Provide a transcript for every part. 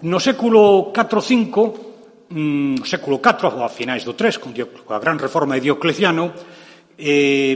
No século IV, século IV, ou a finais do III, con a gran reforma de Diocleciano,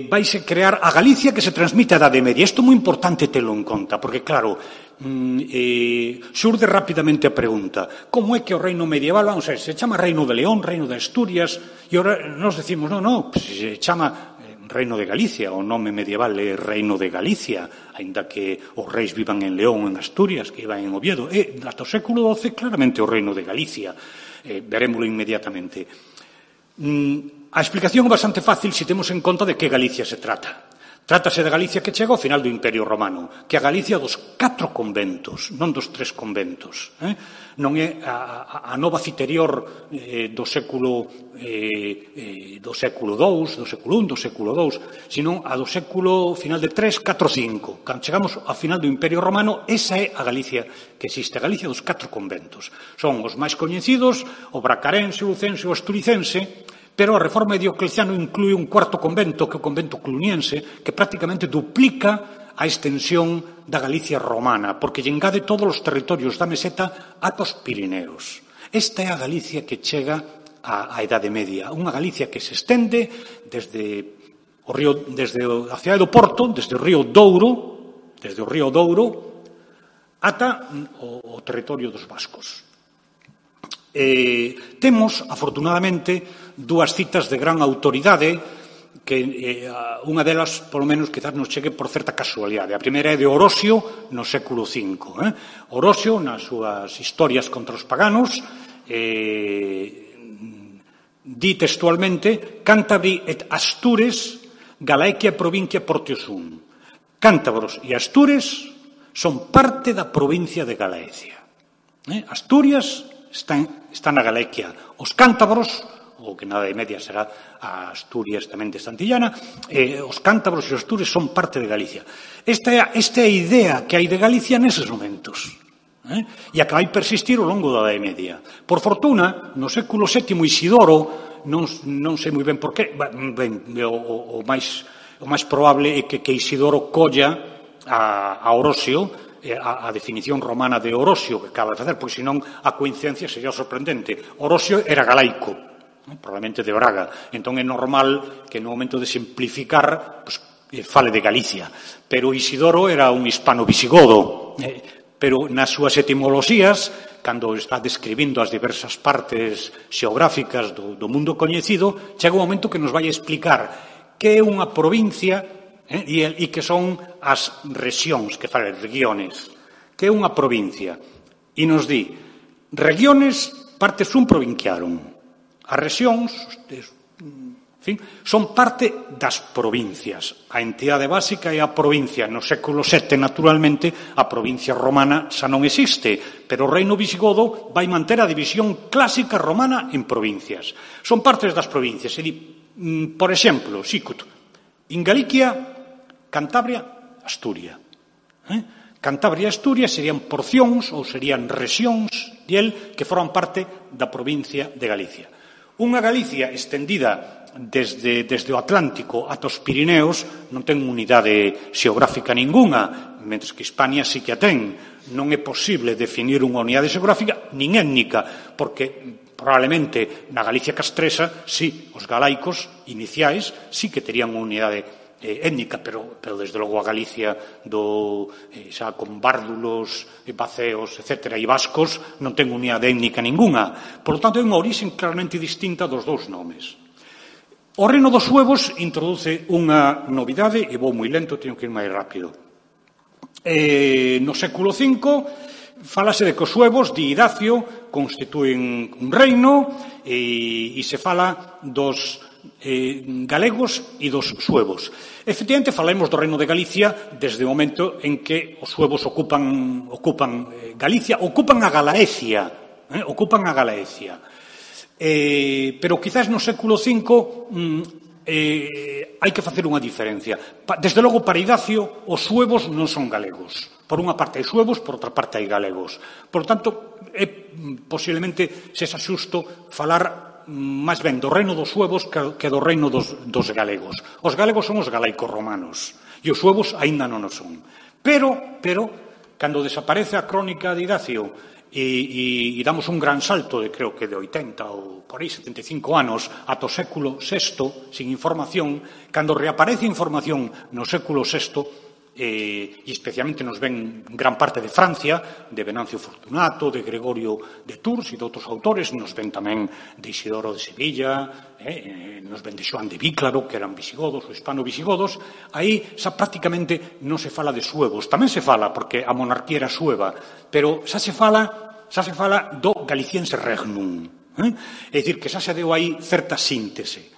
vaise crear a Galicia que se transmite a Idade Media. Isto é moi importante telo en conta, porque, claro, xurde rapidamente a pregunta: como é que o reino medieval, vamos a ver, se chama Reino de León, Reino de Asturias, e ahora nos decimos, non, se chama Reino de Galicia, o nome medieval é Reino de Galicia, aínda que os reis vivan en León, en Asturias, que iban en Oviedo, e ata o século XII claramente o Reino de Galicia, verémolo inmediatamente. A explicación é bastante fácil se temos en conta de que Galicia se trata. Trátase de Galicia que chega ao final do Imperio Romano, que é a Galicia dos 4 conventos, non dos 3 conventos. Non é a nova citerior do século II, do século I, do século II, sino a do século final de 3, 4, 5. Cando chegamos ao final do Imperio Romano, esa é a Galicia que existe, a Galicia dos 4 conventos. Son os máis coñecidos, o bracarense, o lucense, o asturicense, pero a reforma de Diocleciano inclúe un 4º convento, que é o convento cluniense, que prácticamente duplica a extensión da Galicia romana, porque lle engade todos os territorios da meseta ata os Pirineos. Esta é a Galicia que chega á Idade Media, unha Galicia que se estende desde a cidade do Porto, desde o río Douro, ata o territorio dos vascos. Temos, afortunadamente, dúas citas de gran autoridade, que unha delas, polo menos, quizás nos chegue por certa casualidade. A primeira é de Orosio, no século V. Orosio, nas súas historias contra os paganos, di textualmente: Cántabri et Astures, Galaecia provincia Portiosum. Cántabros e Astures son parte da provincia de Galaecia. Asturias está na Galaecia. Os cántabros, o que na Idade Media será a Asturias tamén de Santillana, os cántabros e os astures son parte de Galicia. Esta é a idea que hai de Galicia neses momentos, e a que vai persistir ao longo da Idade Media. Por fortuna, no século VII, Isidoro, non sei moi ben por qué, o máis probable é que Isidoro colla a Orosio, a definición romana de Orosio que acaba de facer, pois senón a coincidencia sería sorprendente. Orosio era galaico, probablemente de Braga, entón é normal que no momento de simplificar fale de Galicia, pero Isidoro era un hispano-visigodo, pero nas súas etimoloxías, cando está describindo as diversas partes xeográficas do mundo coñecido, chega un momento que nos vai a explicar que é unha provincia e que son as rexións, que fala regiones, que é unha provincia. E nos di, regiones parte sum provinciarum. As rexións, son parte das provincias. A entidade básica é a provincia. No século VII, naturalmente, a provincia romana xa non existe, pero o reino visigodo vai manter a división clásica romana en provincias. Son partes das provincias. E di, por exemplo, Sicut, in Galicia, Cantabria, Asturia. Cantabria e Asturia serían porcións ou serían rexións que forman parte da provincia de Galicia. Unha Galicia estendida desde o Atlántico ata os Pirineos non ten unidade xeográfica ningunha, mentres que Hispania sí que a ten. Non é posible definir unha unidade xeográfica nin étnica, porque probablemente na Galicia castresa, sí, os galaicos iniciais sí que terían unha unidade étnica, pero desde logo a Galicia xa con bárdulos, baceos, etc., e vascos non ten unidade étnica ningunha. Por lo tanto, é unha orixe claramente distinta dos dous nomes. O reino dos suevos introduce unha novidade, e vou moi lento, teño que ir máis rápido. No século V fálase de que os suevos, di Idacio, constituen un reino e se fala dos galegos e dos suevos. Efectivamente, falamos do reino de Galicia desde o momento en que os suevos ocupan Galicia, ocupan a Galaecia. Pero quizás no século V hai que facer unha diferencia. Desde logo, para Idacio, os suevos non son galegos. Por unha parte hai suevos, por outra parte hai galegos. Por tanto, posiblemente sexa xusto falar máis ben do reino dos suevos que do reino dos galegos. Os galegos son os galaicos romanos e os suevos aínda non o son. Pero, cando desaparece a crónica de Idacio e damos un gran salto de, creo que de 80 ou por aí 75 anos ata o século VI sin información, cando reaparece información no século VI, e especialmente nos ven gran parte de Francia, de Venancio Fortunato, de Gregorio de Tours e de outros autores, nos ven tamén de Isidoro de Sevilla, nos ven de Xoán de Víclaro, que eran visigodos ou hispano-visigodos. Aí xa prácticamente non se fala de suevos, tamén se fala porque a monarquía era sueva, pero xa se fala do galiciense regnum, é dicir, que xa se deu aí certa síntese.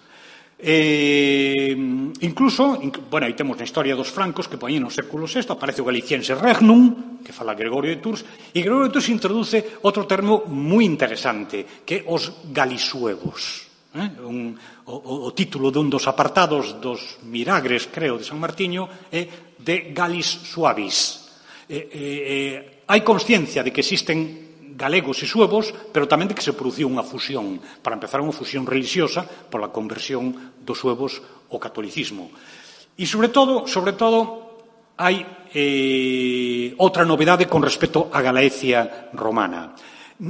Incluso, bueno, aí temos na historia dos francos que poñen no século VI, aparece o galiciense regnum, que fala Gregorio de Tours, e Gregorio de Tours introduce outro termo moi interesante, que é os galisuevos. O título dun dos apartados dos Miragres, creo, de San Martiño é de Galis Suavis. Hai consciencia de que existen galegos e suevos, pero tamén de que se produciu unha fusión, para empezar unha fusión religiosa pola conversión dos suevos ao catolicismo. E, sobre todo, hai outra novedade con respecto á Galaecia romana.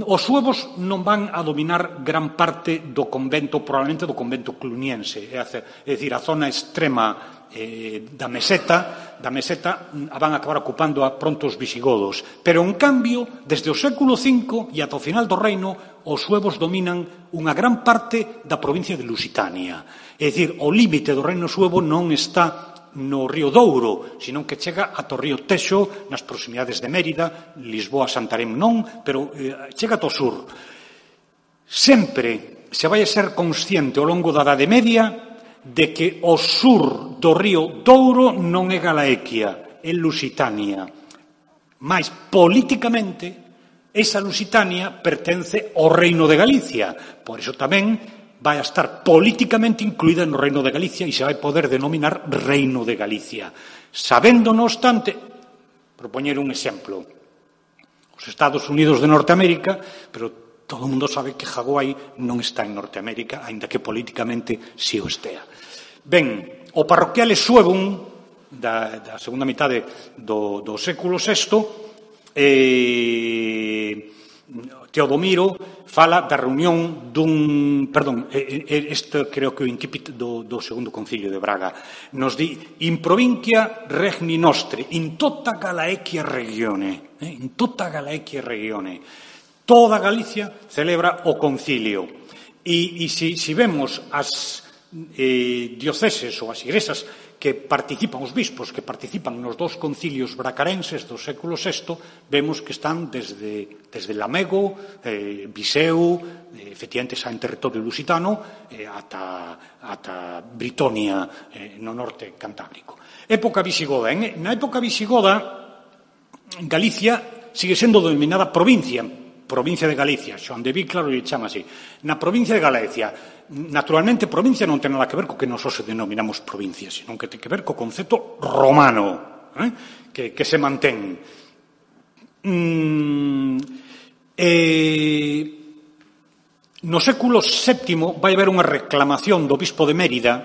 Os suevos non van a dominar gran parte do convento, probablemente do convento cluniense, é dicir, a zona extrema da meseta a van a acabar ocupando a pronto os visigodos. Pero, en cambio, desde o século V e ata o final do reino, os suevos dominan unha gran parte da provincia de Lusitania. É dicir, o límite do reino suevo non está no río Douro, senón que chega ata o río Texo, nas proximidades de Mérida, Lisboa, Santarém non, pero chega ata o sur. Sempre se vai a ser consciente ao longo da Idade Media de que o sur do río Douro non é Galaequia, é Lusitania. Mais, políticamente, esa Lusitania pertence ao Reino de Galicia. Por iso tamén vai a estar políticamente incluída no Reino de Galicia e se vai poder denominar Reino de Galicia. Sabendo, non obstante, propoñer un exemplo, os Estados Unidos de Norteamérica, pero todo o mundo sabe que Hawái non está en Norteamérica, aínda que políticamente si o estea. Ben, o parroquiale Suevum da segunda metade do século VI, Teodomiro fala da reunión dun... Perdón, isto creo que o incipit do segundo concilio de Braga. Nos di, in provincia regni nostre, in tota Galaequia regione. In tota Galaequia regione. Toda Galicia celebra o concilio. E se vemos as dioceses ou as igrexas que participan, os bispos que participan nos dos concilios bracarenses do século VI, vemos que están desde Lamego, Viseu, efectivamente xa en territorio lusitano, ata Britonia, no norte cantábrico. Época visigoda. Na época visigoda, Galicia sigue sendo denominada provincia de Galicia, Xoán de Víclaro lle chama así. Na provincia de Galicia, naturalmente, provincia non ten nada que ver co que nos hoxe denominamos provincia, senón que ten que ver co concepto romano, que se mantén. No século VII vai haber unha reclamación do bispo de Mérida.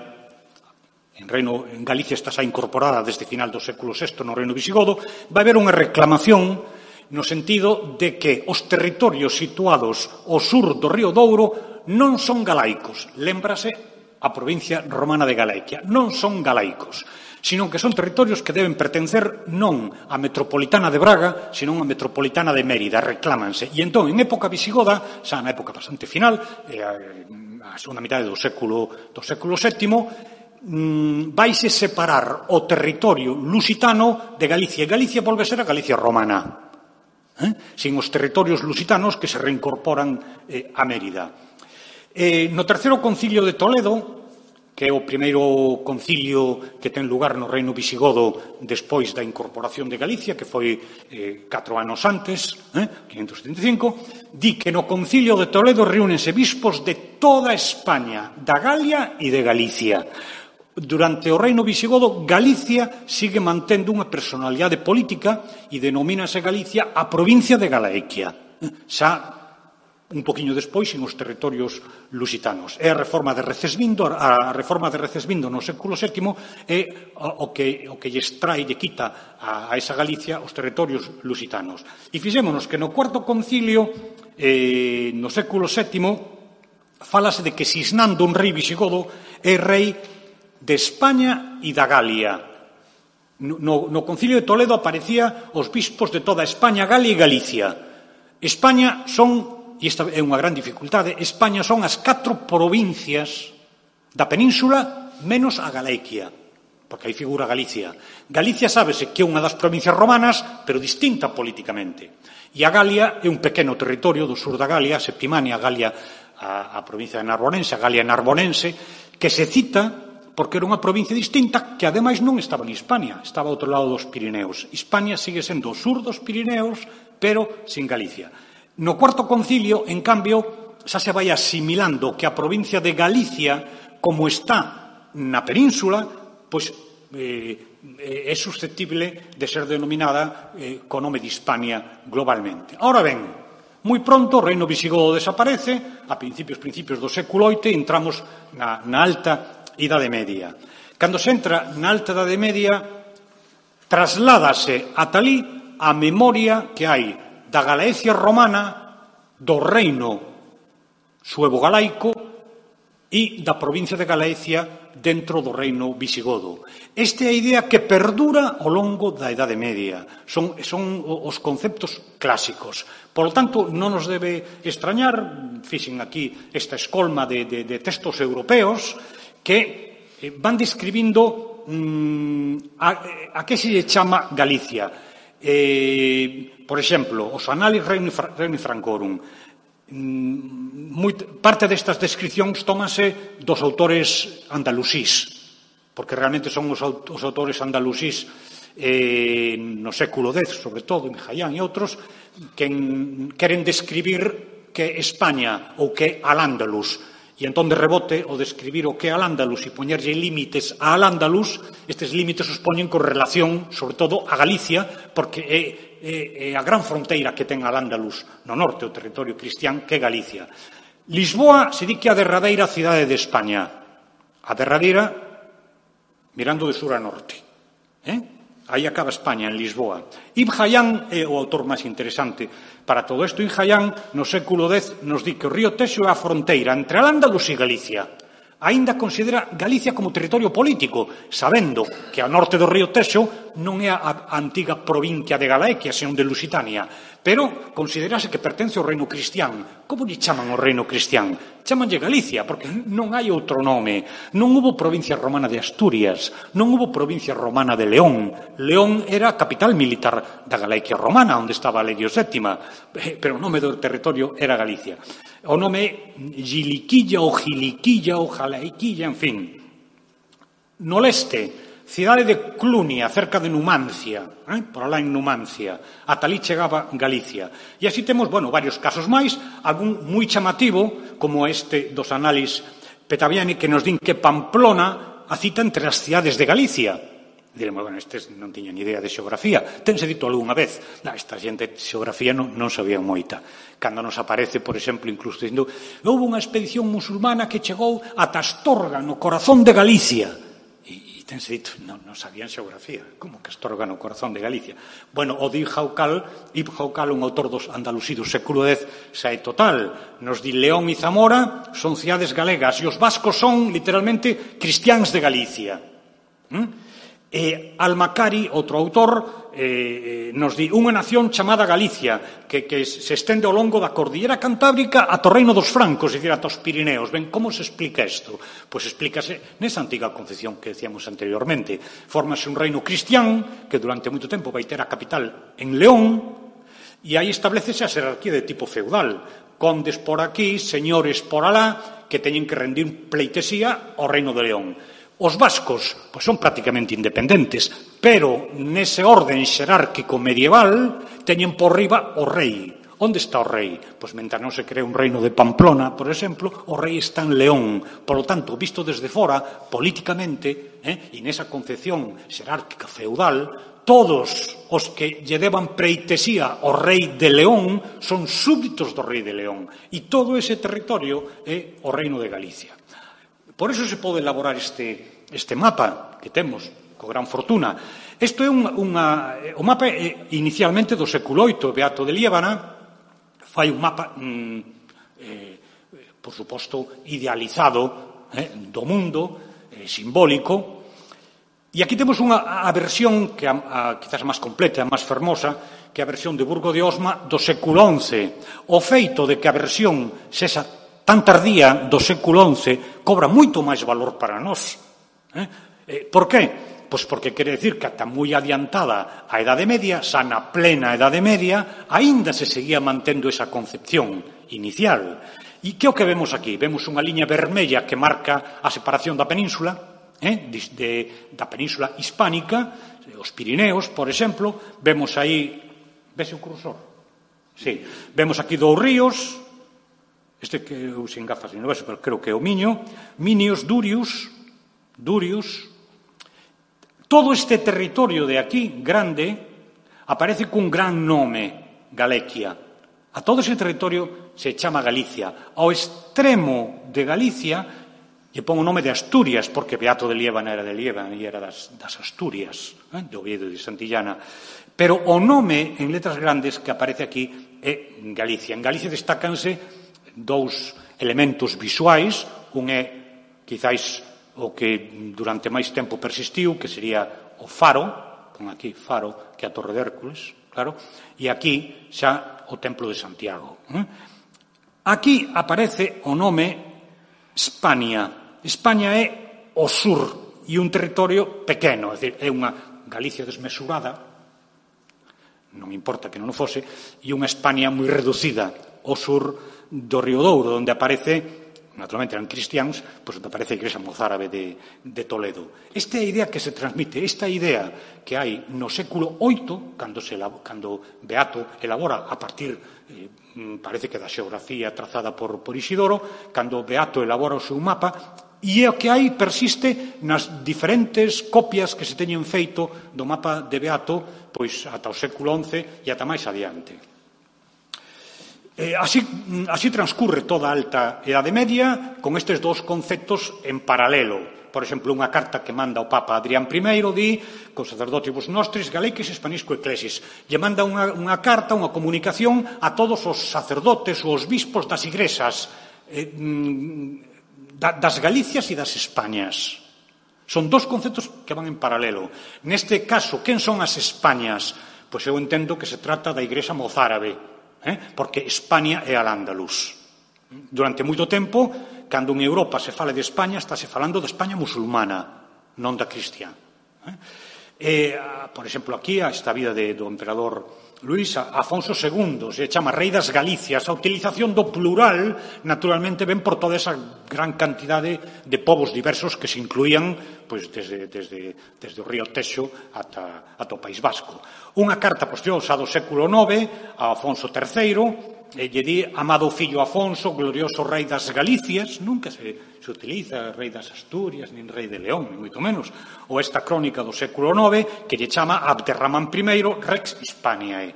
En Galicia está xa incorporada desde final do século VI no reino visigodo. Vai haber unha reclamación no sentido de que os territorios situados ao sur do río Douro non son galaicos. Lémbrase a provincia romana de Galaequia. Non son galaicos, sino que son territorios que deben pertencer non á metropolitana de Braga, senón á metropolitana de Mérida. Reclámanse. E entón, en época visigoda, xa na época bastante final, a segunda mitad do século VII, vaise separar o territorio lusitano de Galicia. E Galicia volve a ser a Galicia romana, sin os territorios lusitanos que se reincorporan a Mérida. No terceiro concilio de Toledo, que é o primeiro concilio que ten lugar no reino visigodo despois da incorporación de Galicia, que foi 4 anos antes, 575, di que no concilio de Toledo reúnense bispos de toda España, da Galia e de Galicia. Durante o reino visigodo, Galicia sigue mantendo unha personalidade política e denomínase Galicia a provincia de Galaequia. Xa un poquinho despois en os territorios lusitanos. É a reforma de Recesvindo, no século VII é o que lle extrae, lle quita a esa Galicia os territorios lusitanos. E fixémonos que no Cuarto Concilio, no século VII, fálase de que Sisnando, un rei visigodo, é rei de España e da Galia. No Concilio de Toledo aparecía os bispos de toda España, Galia e Galicia. España son, e esta é unha gran dificultade, España son as 4 provincias da península menos a Galicia, porque aí figura Galicia. Galicia sábese que é unha das provincias romanas, pero distinta políticamente. E a Galia é un pequeno territorio do sur da Galia, Septimania, Galia, a provincia de Narbonense, a Galia Narbonense, que se cita porque era unha provincia distinta que, ademais, non estaba en Hispania, estaba ao outro lado dos Pirineos. Hispania sigue sendo o sur dos Pirineos, pero sin Galicia. No Cuarto Concilio, en cambio, xa se vai asimilando que a provincia de Galicia, como está na península, pois é susceptible de ser denominada co nome de Hispania globalmente. Ahora ben, moi pronto o reino visigodo desaparece, a principios do século VIII, entramos na Alta Idade Media. Cando se entra na Alta Idade Media, trasládase ata alí a memoria que hai da Galaecia romana, do reino suevo-galaico e da provincia de Galaecia dentro do reino visigodo. Esta é a idea que perdura ao longo da Idade Media. Son os conceptos clásicos. Por lo tanto, non nos debe extrañar, fixen aquí esta escolma de textos europeos que van describindo a que se lle chama Galicia. Por exemplo, os Annales Regnum Francorum. Parte destas descripcións tómanse dos autores andalusís, porque realmente son os autores andalusís no século X, sobre todo, en Jayán e outros, que queren describir que España ou que Al-Ándalus. E entón, de rebote, o describir o que é Al-Ándalus e poñerlle límites a Al-Ándalus, estes límites os poñen con relación, sobre todo, a Galicia, porque é a gran fronteira que ten Al-Ándalus no norte, o territorio cristián, que é Galicia. Lisboa se di que é a derradeira cidade de España. A derradeira mirando de sur a norte. Aí acaba España, en Lisboa. Ibn Hayyan é o autor máis interesante para todo isto. Ibn Hayyan, no século X, nos di que o río Texo é a fronteira entre Al-Ándalus e Galicia. Aínda considera Galicia como territorio político, sabendo que ao norte do río Texo non é a antiga provincia de Galaecia, senón de Lusitania, pero considerase que pertence ao reino cristián. Como lle chaman ao reino cristián? Chamanlle Galicia, porque non hai outro nome. Non hubo provincia romana de Asturias, non hubo provincia romana de León. León era a capital militar da Galaecia romana, onde estaba Legio VII, pero o nome do territorio era Galicia. O nome Giliquilla ou Giliquilla ou Jalaiquilla, en fin. No leste, cidade de Clunia, cerca de Numancia, por alá en Numancia, ata ali chegaba Galicia. E así temos, varios casos máis, algún moi chamativo, como este dos Annales Petaviani, que nos din que Pamplona a cita entre as cidades de Galicia. Diremos, estes non tiñan idea de xeografía. Tense dito algunha vez. Esta xente de xeografía non sabía moita. Cando nos aparece, por exemplo, incluso dicindo, houve unha expedición musulmana que chegou ata Astorga, no corazón de Galicia. E tense dito, non sabían xeografía. Como que Astorga no corazón de Galicia? O de Ibn Haucal, un autor dos Andalusí do século X, xa é total. Nos di León e Zamora son cidades galegas e os vascos son, literalmente, cristiáns de Galicia. Almacari, outro autor, nos di unha nación chamada Galicia, que se estende ao longo da cordillera cantábrica ata o reino dos francos, é dicir, ata os Pirineos. Ben, como se explica isto? Pois explícase nesa antiga concepción que decíamos anteriormente. Fórmase un reino cristián que durante moito tempo vai ter a capital en León, e aí establecese a xerarquía de tipo feudal. Condes por aquí, señores por alá, que teñen que rendir pleitesía ao reino de León. Os vascos son prácticamente independentes, pero nese orden xerárquico medieval teñen por riba o rei. Onde está o rei? Pois mentre non se crea un reino de Pamplona, por exemplo, o rei está en León. Por lo tanto, visto desde fora, políticamente, e nesa concepción xerárquica feudal, todos os que lle deban pleitesía ao rei de León son súbditos do rei de León, e todo ese territorio é o reino de Galicia. Por eso se pode elaborar este mapa que temos, con gran fortuna. Isto é o mapa inicialmente do século VIII. Beato de Liébana fai un mapa, por suposto, idealizado do mundo, simbólico. E aquí temos a versión que quizás máis completa, máis fermosa, que é a versión de Burgo de Osma do século XI. O feito de que a versión sexa tan tardía do século XI cobra moito máis valor para nós. Por qué? Pois porque quere decir que ata moi adiantada a Edade Media, xa na plena Edade Media, aínda se seguía mantendo esa concepción inicial. E que é o que vemos aquí? Vemos unha liña vermella que marca a separación da península, da península hispánica, os Pirineos, por exemplo. Vemos aí, vese o cursor? Sí. Vemos aquí dous ríos, este que eu sin gafas non vexo, pero creo que é o Miño, Minios, Durius. Todo este territorio de aquí, grande, aparece cun gran nome, Galequia. A todo ese territorio se chama Galicia. Ao extremo de Galicia lle pon o nome de Asturias, porque Beato de Liébana era de Liébana e era das Asturias, de Oviedo e de Santillana. Pero o nome, en letras grandes, que aparece aquí é Galicia. En Galicia destácanse dous elementos visuais. Un é, quizáis, o que durante máis tempo persistiu, que sería o faro, pon aquí faro, que é a Torre de Hércules, claro, e aquí xa o Templo de Santiago. Aquí aparece o nome Hispania. España é o sur e un territorio pequeno, é dicir, é unha Galicia desmesurada, non importa que non o fose, e unha España moi reducida ao sur do Río Douro, onde aparece, naturalmente eran cristiáns, pois onde aparece a Igrexa mozárabe de Toledo. Esta é a idea que se transmite, esta idea que hai no século VIII, cando Beato elabora a partir, parece que da xeografía trazada por Isidoro, cando Beato elabora o seu mapa, e o que hai persiste nas diferentes copias que se teñen feito do mapa de Beato pois ata o século XI e ata máis adiante. Así transcurre toda a alta Edade Media con estes dous conceptos en paralelo. Por exemplo, unha carta que manda o Papa Adrián I di con sacerdotibus nostris galeques hispanisco ecclesis. Lle manda unha carta, unha comunicación a todos os sacerdotes ou os bispos das igrexas das Galicias e das Españas. Son dous conceptos que van en paralelo. Neste caso, quen son as Españas? Pois eu entendo que se trata da Igrexa mozárabe, porque España é al-Ándalus. Durante moito tempo, cando en Europa se fala de España, estáse falando de España musulmana, non da cristiá. Por exemplo, aquí esta vida do emperador Luís, Afonso II, se chama Rei das Galicias. A utilización do plural, naturalmente, ven por toda esa gran cantidade de povos diversos que se incluían pois, desde o río Texo ata o País Vasco. Unha carta posterior do século IX a Afonso III, lle di, amado fillo Afonso, glorioso rei das Galicias, nunca se utiliza rei das Asturias, nin rei de León, ni moito menos, ou esta crónica do século IX que lle chama Abderramán I, Rex Hispaniae.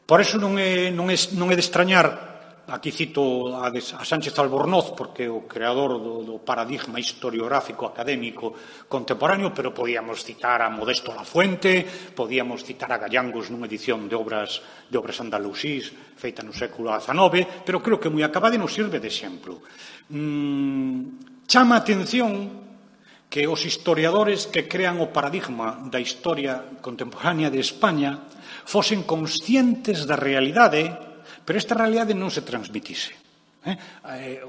Por eso non é de extrañar, aquí cito a Sánchez Albornoz, porque é o creador do paradigma historiográfico académico contemporáneo, pero podíamos citar a Modesto Lafuente, podíamos citar a Gallangos nunha edición de obras andalusís feita no século XIX, pero creo que moi acabada e nos sirve de exemplo. Chama a atención que os historiadores que crean o paradigma da historia contemporánea de España fosen conscientes da realidade, pero esta realidade non se transmitise.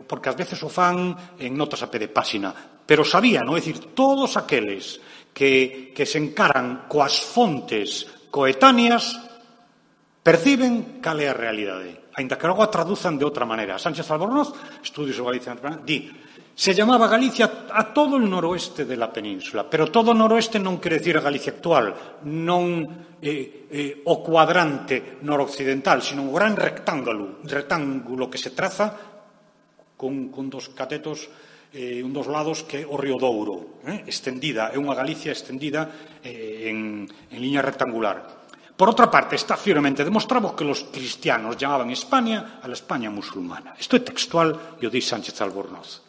Porque ás veces o fan en notas a pé de páxina, pero sabían, é dicir, todos aqueles que se encaran coas fontes coetáneas perciben cal é a realidade, aínda que logo a traduzan de outra maneira. Sánchez Albornoz, Estudios sobre Galicia, di: se llamaba Galicia a todo o noroeste de la península, pero todo o noroeste non quere decir a Galicia actual, non o cuadrante noroccidental, sino o gran rectángulo que se traza con dos catetos un dos lados que é o río Douro, extendida, é unha Galicia extendida en liña rectangular. Por outra parte, está firmemente demostrado que los cristianos llamaban España a la España musulmana. Isto é textual e o di Sánchez Albornoz.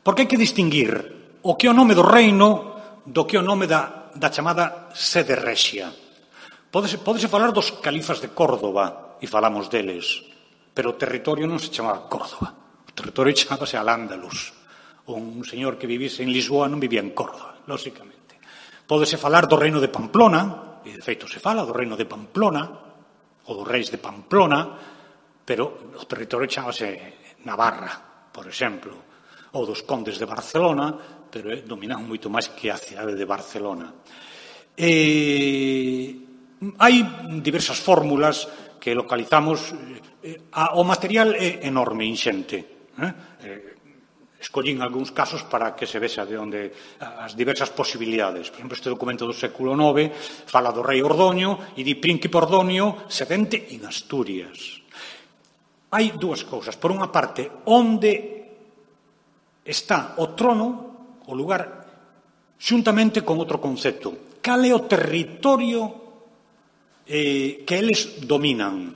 Porque hai que distinguir o que é o nome do reino do que é o nome da chamada sede rexia. Pódese falar dos califas de Córdoba, e falamos deles, pero o territorio non se chamaba Córdoba. O territorio chamábase Al-Ándalus. Un señor que vivise en Lisboa non vivía en Córdoba, lóxicamente. Pódese falar do reino de Pamplona, e de feito se fala do reino de Pamplona, ou dos reis de Pamplona, pero o territorio chamábase Navarra, por exemplo, ou dos condes de Barcelona, pero dominan moito máis que a cidade de Barcelona. Hai diversas fórmulas que localizamos. O material é enorme, inxente. Escollín algúns casos para que se vexa de onde as diversas posibilidades. Por exemplo, este documento do século IX fala do rei Ordoño e di príncipe Ordoño sedente en Asturias. Hai dúas cousas. Por unha parte, onde está o trono, o lugar, xuntamente con outro concepto. Cal é o territorio que eles dominan?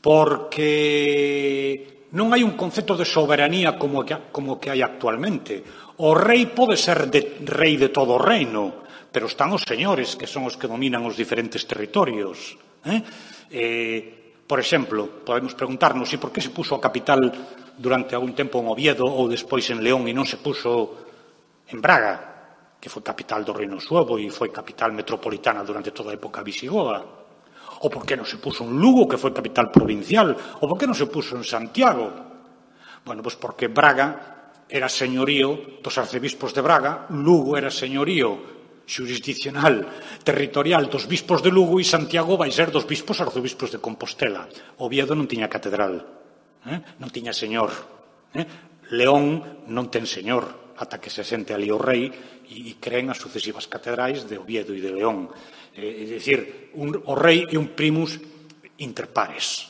Porque non hai un concepto de soberanía como que hai actualmente. O rei pode ser rei de todo o reino, pero están os señores, que son os que dominan os diferentes territorios. Por exemplo, podemos preguntarnos por que se puso a capital durante algún tempo en Oviedo ou despois en León e non se puso en Braga, que foi capital do Reino Suevo e foi capital metropolitana durante toda a época visigoda. Ou por que non se puso en Lugo, que foi capital provincial, ou por que non se puso en Santiago. Bueno, pois porque Braga era señorío dos arcebispos de Braga, Lugo era señorío xurisdiccional, territorial dos bispos de Lugo e Santiago vai ser dos bispos arcebispos de Compostela. Oviedo non tiña catedral, non tiña señor. León non ten señor ata que se sente ali o rei e creen as sucesivas catedrais de Oviedo e de León. É dicir, o rei é un primus inter pares.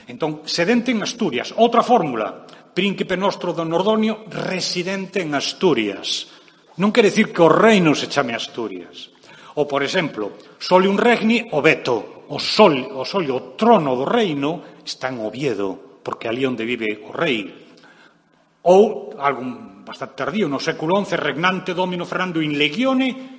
Entón, sedente en Asturias. Outra fórmula, príncipe nostro don Ordoño, residente en Asturias. Non quere dicir que o reino se chame Asturias. Ou, por exemplo, sole un regni o veto. O trono do reino está en Oviedo, porque ali onde vive o rei. Ou, algún bastante tardío, no século XI, regnante domino Fernando in legione,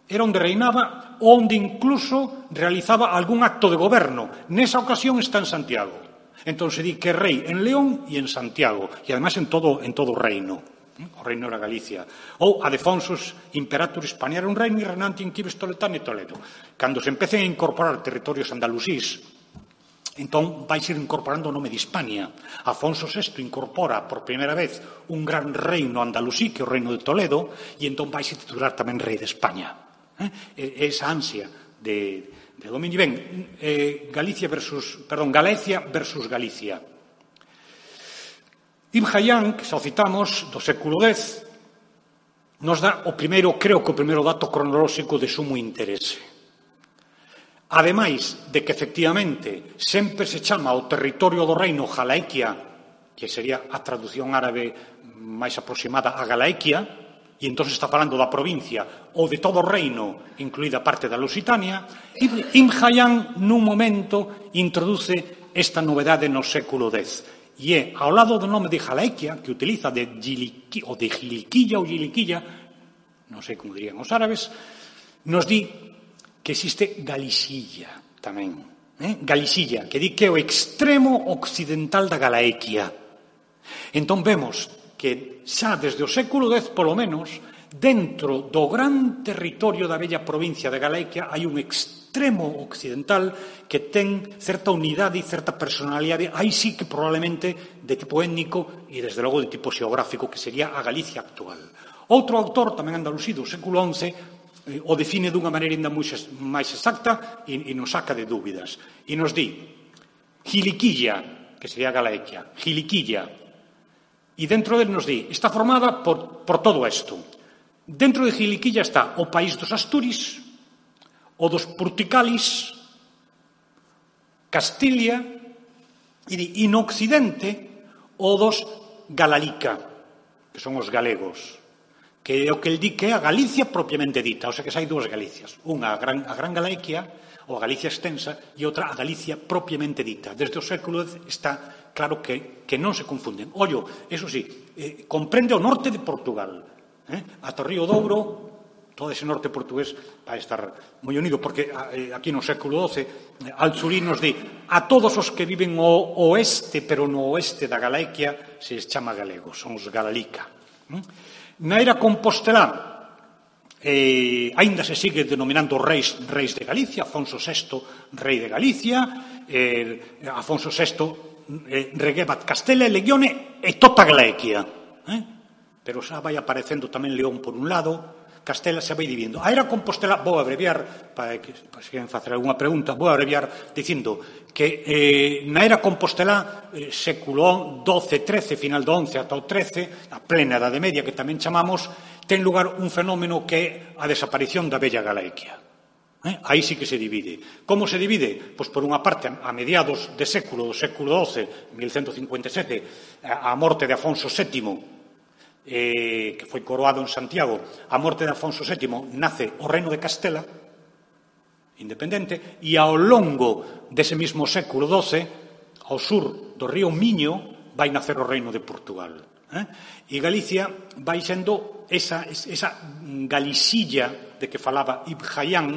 era onde reinaba, onde incluso realizaba algún acto de goberno. Nesa ocasión está en Santiago. Entón se di que é rei en León e en Santiago, e además en todo o reino. O reino era Galicia. Ou Adefonsos Imperator Hispania, era un reino reinante in Quibes Toletano e Toledo. Cando se empecen a incorporar territorios andalusís, entón vai ser incorporando o nome de Hispania. Afonso VI incorpora por primeira vez un gran reino andalusí, que é o reino de Toledo, e entón vai se titular tamén rei de España. Esa ansia de dominio. Ben, Galicia versus Galicia. Ibn Hayyan, que xa o citamos, do século X, nos dá creo que o primeiro dato cronolóxico de sumo interese. Ademais de que, efectivamente, sempre se chama o territorio do reino Jalaequia, que sería a traducción árabe máis aproximada a Galaequia, e entón está falando da provincia ou de todo o reino, incluída parte da Lusitania, Ibn Hayyan, nun momento, introduce esta novedade no século X. E é, ao lado do nome de Jalaequia, que utiliza de Giliquilla ou Giliquilla, non sei como dirían os árabes, nos di que existe Galicilla tamén. Galicilla, que di que é o extremo occidental da Galaequia. Entón vemos que xa desde o século X, polo menos, dentro do gran territorio da bella provincia de Galaequia hai un extremo occidental que ten certa unidade e certa personalidade, aí sí que probablemente de tipo étnico e desde logo de tipo xeográfico, que sería a Galicia actual. Outro autor, tamén andalusí do século XI, o define dunha maneira ainda máis exacta e nos saca de dúbidas. E nos di Giliquilla, que sería Galaequia, Giliquilla, e dentro dele nos di, está formada por todo isto. Dentro de Giliquilla está o país dos Asturis, o dos Purticalis, Castilia, e no occidente o dos Galalica, que son os galegos, que é o que el di que é a Galicia propiamente dita, o sea que hai dúas Galicias, unha a Gran Galicia, ou a Galicia extensa, e outra a Galicia propiamente dita. Desde o século X está claro que non se confunden. Ollo, eso sí, comprende o norte de Portugal, ata o río Douro, todo ese norte portugués vai estar moi unido, porque aquí no século XII Alzuri nos di a todos os que viven ao oeste, pero no oeste da Galicia se les chama galegos, son os Galalica. Na era compostelá aínda se sigue denominando reis de Galicia, Afonso VI, rei de Galicia, Afonso VI reguebat Castela e Legione e tota Galicia. Pero xa vai aparecendo tamén León por un lado, Castela se vai dividindo. A era compostelá, vou abreviar, para que se queren facer algunha pregunta, vou abreviar dicindo que na era compostelá, século XII, final do XI ata o XIII, a plena Edade Media, que tamén chamamos, ten lugar un fenómeno que é a desaparición da bella Galicia. Aí sí que se divide. Como se divide? Pois por unha parte, a mediados do século XII, 1157, a morte de Afonso VII, que foi coroado en Santiago, a morte de Afonso VII, nace o reino de Castela, independente, e ao longo dese mesmo século XII, ao sur do río Miño, vai nacer o reino de Portugal. E Galicia vai sendo esa Galicilla de que falaba Ibn Hayyan,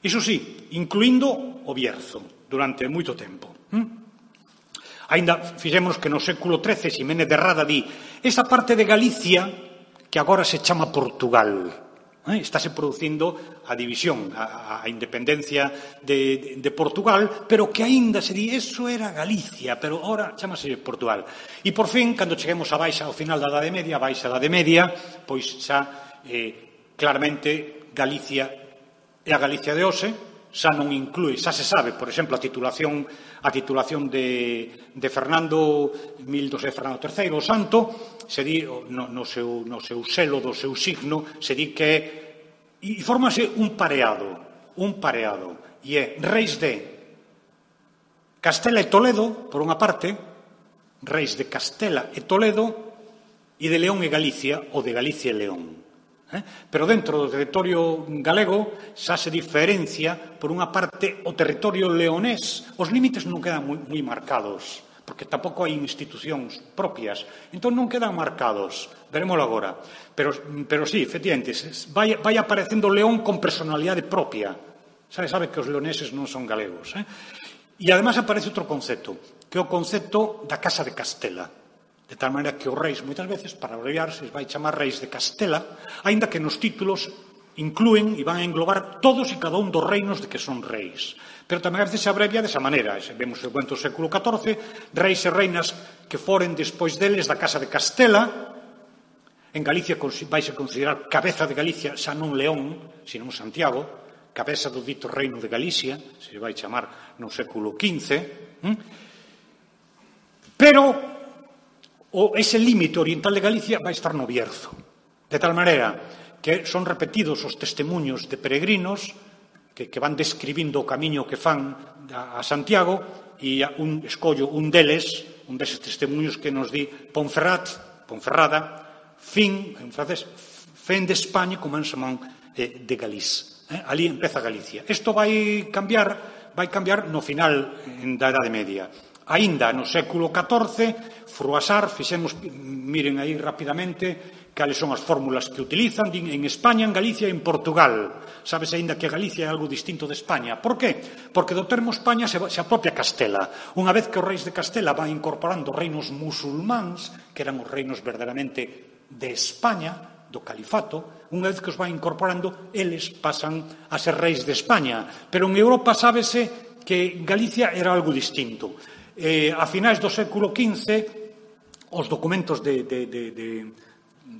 iso sí, incluindo o Bierzo, durante moito tempo. Ainda fixemos que no século XIII Ximénez de Rada di esa parte de Galicia que agora se chama Portugal. Estáse producindo a división, a independencia de Portugal, pero que aínda se di, eso era Galicia, pero ahora chamase Portugal. E por fin, cando cheguemos a baixa, ao final da Edade Media, a baixa Edade Media, pois xa claramente Galicia é a Galicia de hoxe, xa non inclúe, xa se sabe, por exemplo, a titulación de Fernando Fernando III, o Santo, se di no seu selo do seu signo, se di que e fórmase un pareado, e é reis de Castela e Toledo, por unha parte, reis de Castela e Toledo, e de León e Galicia, ou de Galicia e León. Pero dentro do territorio galego xa se diferencia, por unha parte, o territorio leonés. Os límites non quedan moi marcados, porque tampouco hai institucións propias, entón non quedan marcados, verémoslo agora. Pero sí, efectivamente, vai aparecendo León con personalidade propia. Sabe que os leoneses non son galegos. E ademais aparece outro concepto, que é o concepto da Casa de Castela. De tal maneira que os reis, moitas veces, para abreviar, se vai chamar reis de Castela, aínda que nos títulos inclúen e van a englobar todos e cada un dos reinos de que son reis. Pero tamén a veces se abrevia desa maneira. Vemos o cuento do século XIV, reis e reinas que foren despois deles da Casa de Castela. En Galicia vaise considerar cabeza de Galicia xa non León, sino Santiago, cabeza do dito reino de Galicia, se vai chamar no século XV. Pero ese límite oriental de Galicia vai estar no Bierzo. De tal maneira que son repetidos os testemunhos de peregrinos que van describindo o camiño que fan a Santiago e escollo un deses testemunhos que nos di Ponferrada, fin, en francés, fin de España, commencement de Galice. Ali empeza Galicia. Isto vai cambiar no final da Edade Media. Aínda no século XIV, Froissart, miren aí rapidamente cales son as fórmulas que utilizan, din en España, en Galicia e en Portugal. Sabes aínda que Galicia é algo distinto de España. Por que? Porque do termo España se apropia Castela. Unha vez que os reis de Castela van incorporando reinos musulmáns, que eran os reinos verdadeiramente de España, do califato, unha vez que os van incorporando, eles pasan a ser reis de España. Pero en Europa sábese que Galicia era algo distinto. A finais do século XV, os documentos de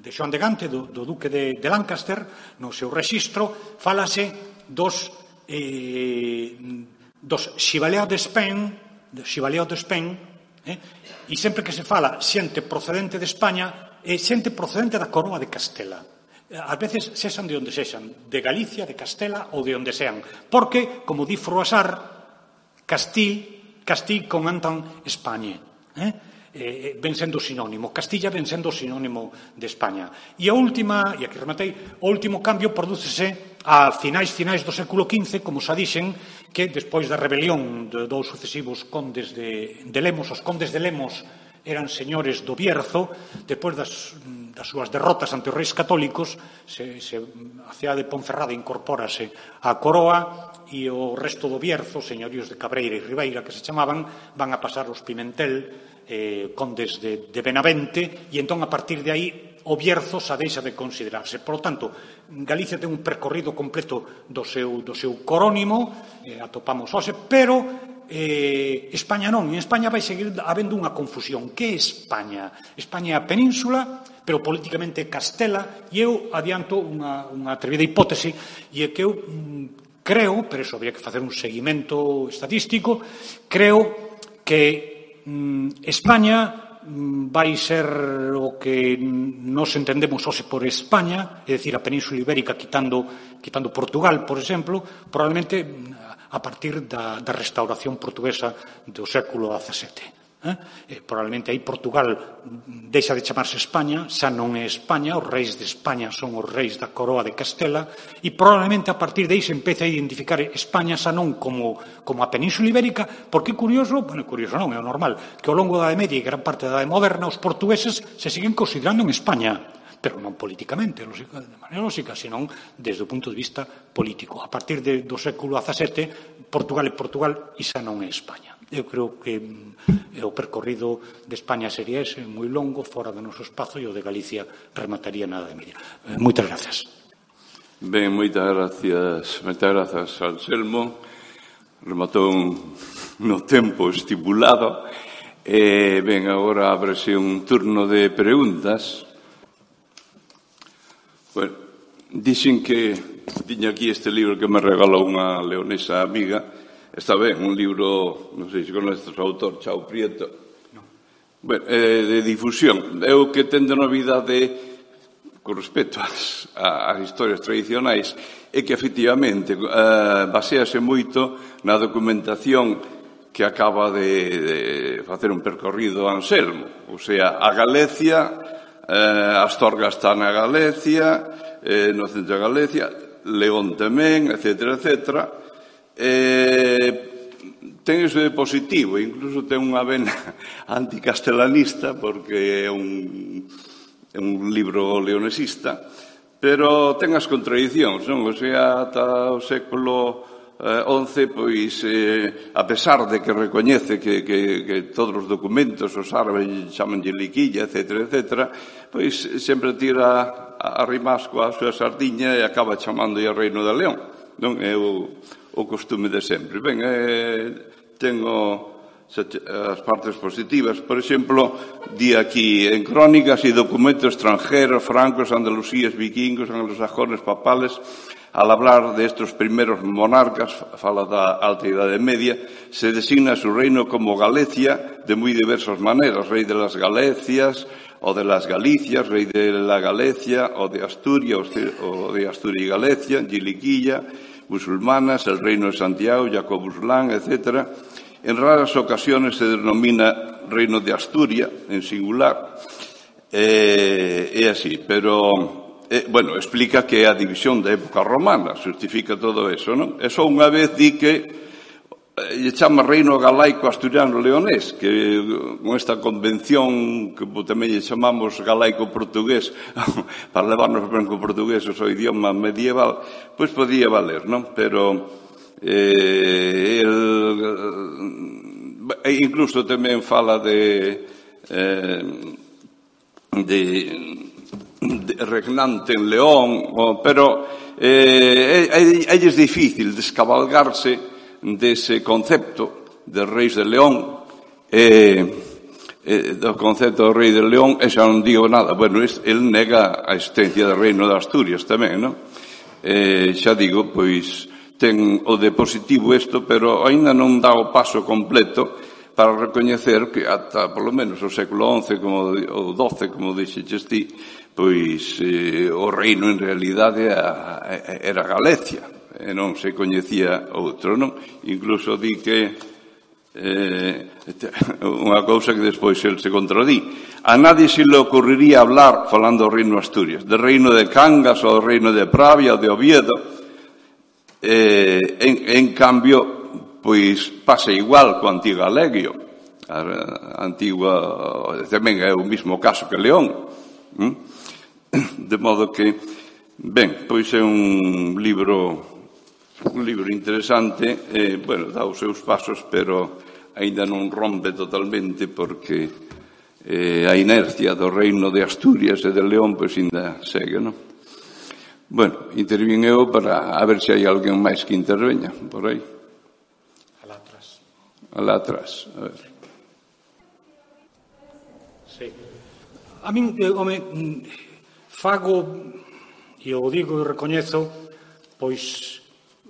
Xoán de Gante, do duque de Lancaster, no seu rexistro, fálase dos Chevalier d'Espagne, e sempre que se fala xente procedente de España, é xente procedente da coroa de Castela. Ás veces sexan de onde sexan, de Galicia, de Castela ou de onde sean, porque, como di Froissart, Castille con Antan España. ven sendo sinónimo. Castilla ven sendo sinónimo de España. E a última, e aquí rematei, o último cambio prodúcese a finais do século XV, como xa dixen, que despois da rebelión de dous sucesivos condes de Lemos, os condes de Lemos eran señores do Bierzo, despois das súas derrotas ante os reis católicos, a cidade de Ponferrada incorpórase á coroa e o resto do Bierzo, señoríos de Cabreira e Ribeira, que se chamaban, van a pasar os Pimentel, condes de Benavente, e entón a partir de aí o Bierzo xa deixa de considerarse. Por lo tanto, Galicia ten un percorrido completo do seu corónimo, atopamos hoxe, pero España non. En España vai seguir habendo unha confusión. Que é España? España é a península, pero políticamente Castela, e eu adianto unha atrevida hipótese, e é que eu creo, pero iso habría que facer un seguimento estadístico, creo que España vai ser o que nos entendemos hoxe por España, é dicir, a Península Ibérica quitando Portugal, por exemplo, probablemente a partir da restauración portuguesa do século XVII. Probablemente aí Portugal deixa de chamarse España, xa non é España, os reis de España son os reis da coroa de Castela, e probablemente a partir de aí se empece a identificar España xa non como a Península Ibérica, porque é curioso, bueno, curioso non, é o normal, que ao longo da Edade Media e gran parte da Edade Moderna os portugueses se siguen considerando en España, pero non políticamente, de maneira lógica, senón desde o punto de vista político. A partir do século XVII, Portugal é Portugal e xa non é España. Eu creo que o percorrido de España sería ese, moi longo, fora do noso espazo, e o de Galicia remataría na Edade Media. Moitas gracias. Ben, moitas grazas, Anselmo. Rematou no tempo estipulado. Ben, agora ábrese un turno de preguntas. Bueno, dixen que tiña aquí este libro que me regalou unha leonesa amiga. Está ben, un libro, non sei se conoces o autor, Chao Prieto. Bueno, de difusión. É o que ten de novidade con respecto ás historias tradicionais é que, efectivamente, basease moito na documentación que acaba de facer un percorrido Anselmo. O sea, a Galicia, Astorga está na Galicia, no centro de Galicia, León tamén, etcétera, etcétera. Ten iso de positivo, incluso ten unha vena anticastelanista, porque é un libro leonesista, pero ten as contradicións, non? O sea, ata o século XI, pois, a pesar de que recoñece que todos os documentos, os árabes chamanlle liquilla, etcétera, etcétera, pois sempre tira a rimasco a súa sardiña e acaba chamándolle a Reino de León. Non é o costume de sempre. Ben, tengo as partes positivas. Por exemplo, di aquí, en crónicas e documentos extranjeros, francos, andalusíes, vikingos, anglosajones, papales, al hablar de estos primeros monarcas, fala da Alta Idade Media, se designa su reino como Galicia de muy diversas maneras, rei de las Galecias, o de las Galicias, rei de la Galicia, o de Asturias, o de Asturias y Galicia, Giliquilla, musulmanas, el reino de Santiago, Jacobuslán, etc. En raras ocasiones se denomina reino de Asturias, en singular, é así, pero, bueno, explica que a división da época romana justifica todo eso, non? E só unha vez di que lle chama reino galaico asturiano leonés, que con esta convención que tamén lle chamamos galaico portugués para levarnos branco portugués o idioma medieval, pois podía valer, non? Pero incluso tamén fala de regnante en León, pero é difícil descabalgarse dese concepto de reis de León, do concepto do rei de León, e xa non digo nada. Bueno, el nega a existencia do reino de Asturias tamén, non? Xa digo, pois, ten o de positivo isto, pero aínda non dá o paso completo para recoñecer que ata, polo menos, o século XI ou XII, como dixeches ti, pois o reino en realidade era Galicia, e non se coñecía outro, non? Incluso di que Unha cousa que despois el se contradí. A nadie se le ocurriría hablar, falando do reino de Asturias, do reino de Cangas ou do reino de Pravia ou de Oviedo. En cambio, pois pasa igual co antigo Alegio. A antigua tamén é o mismo caso que León. De modo que, ben, pois é un libro interesante, bueno, dá os seus pasos, pero aínda non rompe totalmente porque a inercia do reino de Asturias e de León pois ainda segue, non? Bueno, intervín eu para a ver se hai alguén máis que interveña por aí. Alá atrás, a ver. Sí. A min, home, fago, e o digo e recoñezo, pois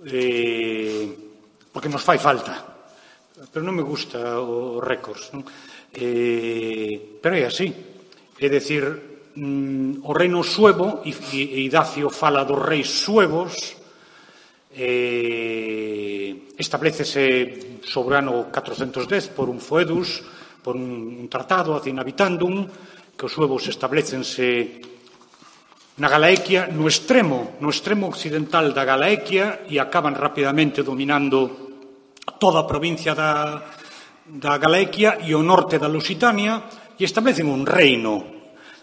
porque nos fai falta, pero non me gusta os récords, non? Pero é así, é dicir, o reino suevo, e Idacio fala dos reis suevos, establecese sobre o ano 410 por un foedus, por un tratado ad inhabitandum, que os suevos establecense na Galaequia, no extremo occidental da Galaequia, e acaban rapidamente dominando toda a provincia da Galaequia e o norte da Lusitania, e establecen un reino.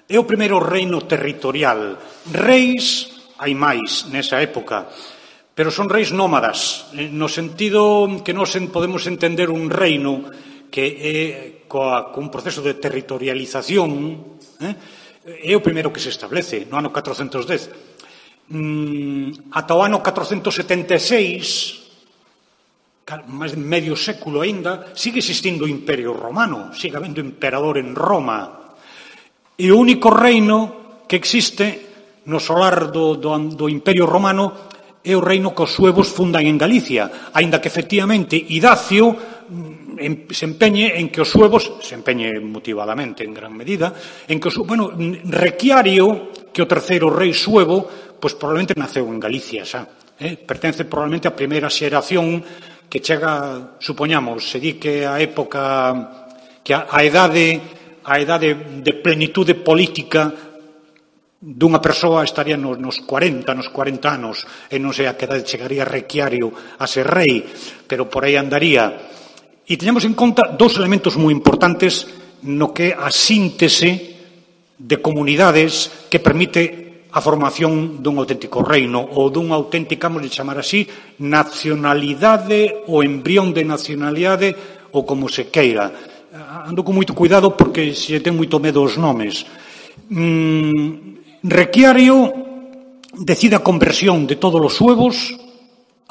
É o primeiro reino territorial. Reis, hai máis nesa época, pero son reis nómadas, no sentido que nós podemos entender un reino que é con proceso de territorialización, é o primeiro que se establece no ano 410. Ata o ano 476, máis de medio século aínda, sigue existindo o Imperio Romano, sigue habendo emperador en Roma. E o único reino que existe no solar do Imperio Romano é o reino que os suevos fundan en Galicia, aínda que efectivamente Idacio se empeñe en que os suevos, se empeñe motivadamente en gran medida, en que Requiario, que o terceiro rei suevo, pois probablemente naceu en Galicia xa, pertence probablemente á primeira xeración que chega, supoñamos, se di que a época, que a idade de plenitude política dunha persoa estaría nos 40 anos, e non sei a que idade chegaría Requiario a ser rei, pero por aí andaría. E teñamos en conta dous elementos moi importantes no que é a síntese de comunidades que permite a formación dun auténtico reino ou dunha auténtica, vamos a chamar así, nacionalidade ou embrión de nacionalidade ou como se queira. Ando con moito cuidado porque se ten moito medo os nomes. Requiario decide a conversión de todos os suevos.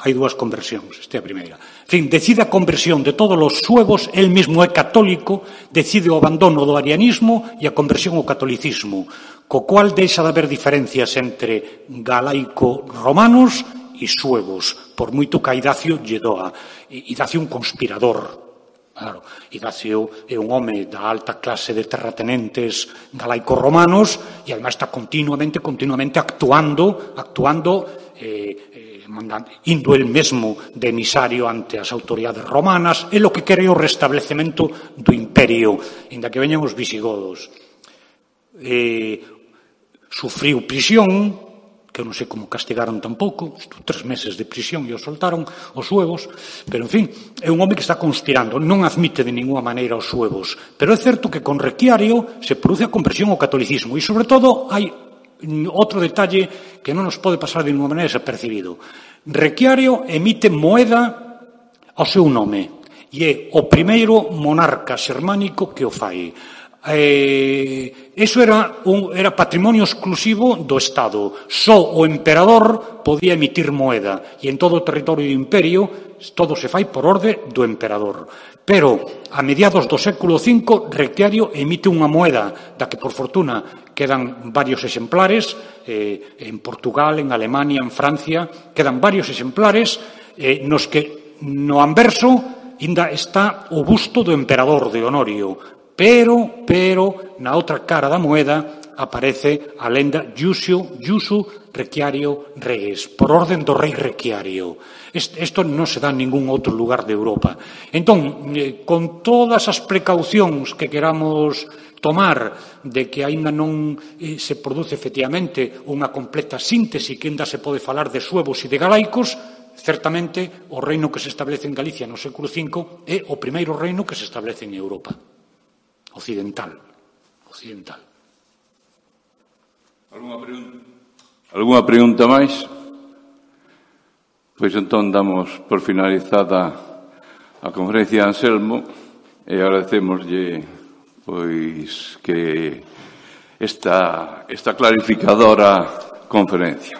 Hai dúas conversións, esta é a primeira. En fin, decide a conversión de todos os suevos, el mesmo é católico, decide o abandono do arianismo e a conversión ao catolicismo, co cual deixa de haber diferencias entre galaico-romanos e suevos, por moito que a Idacio lle doa. Idacio é un conspirador. Claro, Idacio é un home da alta clase de terratenentes galaico-romanos e, además, está continuamente actuando, indo el mesmo de emisario ante as autoridades romanas, é lo que quere o restablecemento do imperio, inda que veñan os visigodos. Sufriu prisión, que non sei como castigaron tampouco, 3 meses de prisión e o soltaron os suevos, pero, en fin, é un home que está conspirando, non admite de ninguna maneira os suevos, pero é certo que con Requiario se produce a conversión ao catolicismo, e, sobre todo, hai outro detalle que non nos pode pasar de ninguna maneira desapercibido. Requiario emite moeda ao seu nome e é o primeiro monarca xermánico que o fai. Eso era patrimonio exclusivo do Estado. Só o emperador podía emitir moeda e en todo o territorio do imperio todo se fai por orde do emperador. Pero a mediados do século V Requiario emite unha moeda da que por fortuna quedan varios exemplares en Portugal, en Alemania, en Francia, quedan varios exemplares nos que no anverso ainda está o busto do emperador de Honorio. Pero, na outra cara da moeda, aparece a lenda Iusu Requiario Reis, por orden do rei Requiario. Isto non se dá en ningún outro lugar de Europa. Entón, con todas as precaucións que queramos tomar de que aínda non se produce efectivamente unha completa síntese que aínda se pode falar de suevos e de galaicos, certamente o reino que se establece en Galicia no século V é o primeiro reino que se establece en Europa occidental. Alguna pregunta máis? Pois entón damos por finalizada a conferencia de Anselmo e agradecémoslle pois que esta clarificadora conferencia.